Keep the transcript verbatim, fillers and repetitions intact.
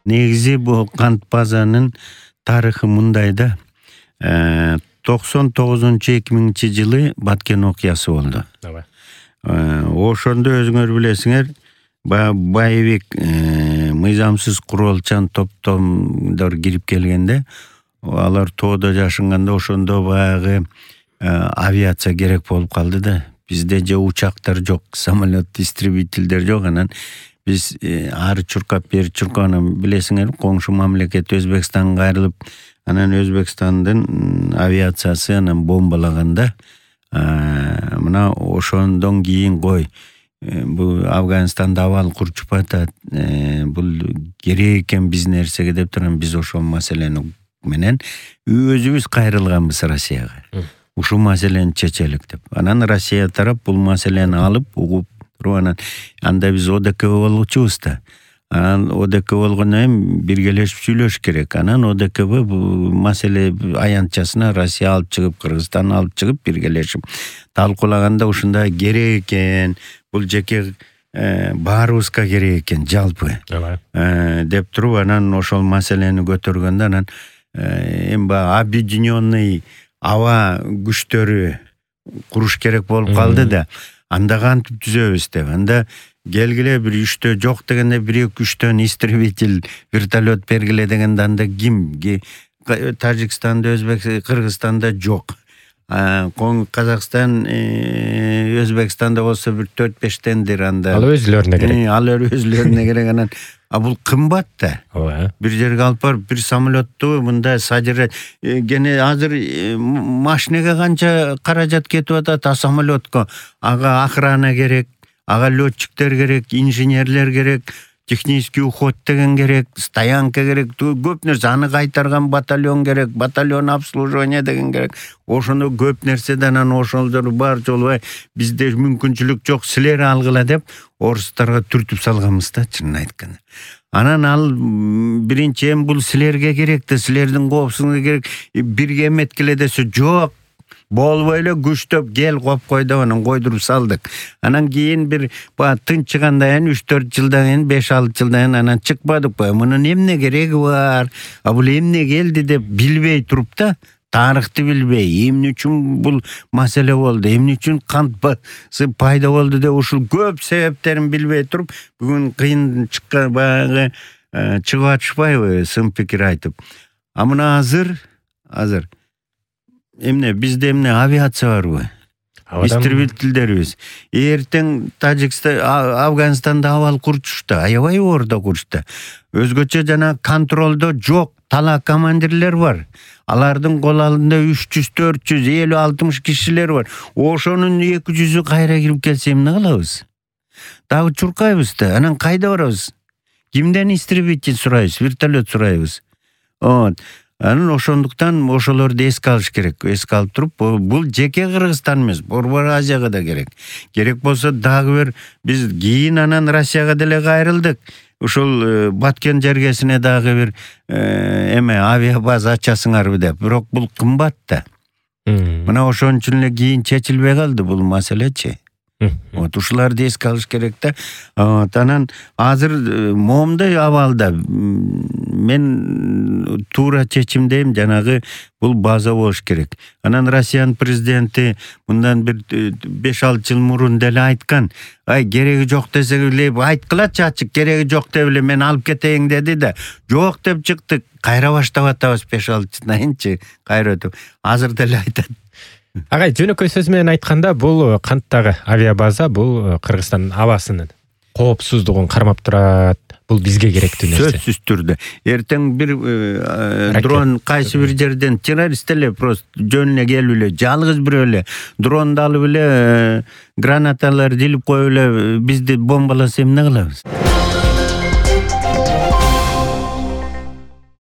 Негизи бул кант базанын тарыхы мындай да. токсон тогузунчу эки миңинчи жылы Баткен окуясы болду. Ошондо өзүңөр билесиңер, баягы Байбек мыйзамсыз куралчан топтомдор кирип келгенде, алар тоодо жашынганда ошондо баягы авиация керек болуп калды да. Бизде же учактар жок, самолет, истребительдер жок, анан биз ары чуркап бери чуркап, анан билесиңер, коңшу мамлекет Өзбекстанга кайрылып, анан Өзбекстандын авиациясы анан бомбалаганда, мына ошондон кийин кой, бул Афганистанда абал курчуп атат, бул керек экен биз нерсеге деп турам, биз ошол маселени менен өзүбүз кайрылганбыз Россияга. Ушул маселени чечелик деп. Анан Россия тарап бул маселени алып, угуп туруп, анан анда биз ОДКБ болчубуз да. Анан ОДКБ болгондон кийин биргелешип сүйлөш керек. Анан ОДКБ бул маселе аянтчасына Россия алып чыгып, Кыргызстан алып чыгып, биргелешип талкуулаганда ушундай керек экен, бул жеке баарыбызга керек экен жалпы деп туруп, анан ошол маселени көтөргөндө, анан эми баягы объединенный аба күчтөрү куруш керек болуп калды да. Анда кантип түзөбүз деп. Анда келгиле бир үчтө жок дегенде бир эки үчтөн истребитель, вертолет бергиле дегенде анда ким? Тажикстанда, Өзбекстанда, Кыргызстанда жок. Казакстан, Өзбекстанда болсо бир төрт бештендир анда. Ал өзлөрүнө керек. Ал өзлөрүнө керек, анан а бул кымбат да. Бир жерге алып барып, бир самолетту мындай содержать. Гене азыр машинеге канча каражат кетип атат, а самолетко ага охрана керек, ага летчиктер керек, инженерлер керек, технический уход деген керек, стоянка керек, көп нерсе, аны кайтарган батальон керек, батальон обслуживание деген керек. Ошондо көп нерседен анан ошолдор бар жолу бизде мүмкүнчүлүк жок, силер алгыла деп орустарга түртүп салганбыз да, чынын айтканда. Анан ал биринчи эми бул силерге керек да, силердин коопсуздугуңа керек, бирге эметкиле десе жок. Болбой эле күчтөп кел коп кой деп анан койдуруп салдык. Анан кийин бир баягы тынчыгандан кийин үч төрт жылдан кийин, беш алты жылдан кийин анан чыкпадык ба? Мунун эмне кереги бар? А бул эмне келди деп билбей туруп да, тарыхты билбей, эмне үчүн бул маселе болду, эмне үчүн кант базасы пайда болду деп ушул көп себептерин билбей туруп, бүгүн кыйын чыккан баягы чыгып атышпайбы сын пикир айтып. А мына азыр, азыр эмне бизде эмне авиация барбы? Истребительдерибиз. Эртең Тажикстан, Афганистанда абал курчушта, аябай ордо курчта. Өзгөчө жана контролдо жок, тала командирлер бар. Алардын кол алдында үч жүз, төрт жүз, элүү, алтымыш кишилер бар. Ошонун эки жүзү кайра кирип келсе эмне кылабыз? Дагы чуркайбыз да, анан кайда барабыз? Кимден истребитель сурайбыз, вертолет сурайбыз? Вот. Анан ошондуктан ошолорду эске алыш керек. Эске алып туруп, бул жеке Кыргызстан эмес, Борбор Азияга да керек. Керек болсо дагы бир биз кийин анан Россияга деле кайрылдык. Ушул Баткен жергесине дагы бир эме авиабаза ачасыңарбы деп. Бирок бул кымбат да. Мына ошон үчүн эле кийин чечилбей калды бул маселечи. Вот ушуларды эске алыш керек да. Анан азыр момундай абалда мен туура чечимдейм, жанагы бул база болуш керек. Анан Россиянын президенти мындан бир беш алты жыл мурун деле айткан. Ай, кереги жок десе эле айткылачы ачык, кереги жок деп эле мен алып кетейин деди да. Жок деп чыктык. Кайра баштап атабыз беш алты жылдан кийинчи, кайра өтүп. Азыр деле айтат. Агай, жөнөкөй сөз менен айтканда, бул канттагы авиабаза бул Кыргызстандын абасынын коопсуздугун кармап турат. Бул бизге керектүү нерсе. Сөзсүз түрдө. Эртең бир дрон кайсы бир жерден террорист эле просто жөн эле келип эле, жалгыз бирөө эле дронду алып эле гранаталар илип коюп эле бизди бомбаласа эмне кылабыз?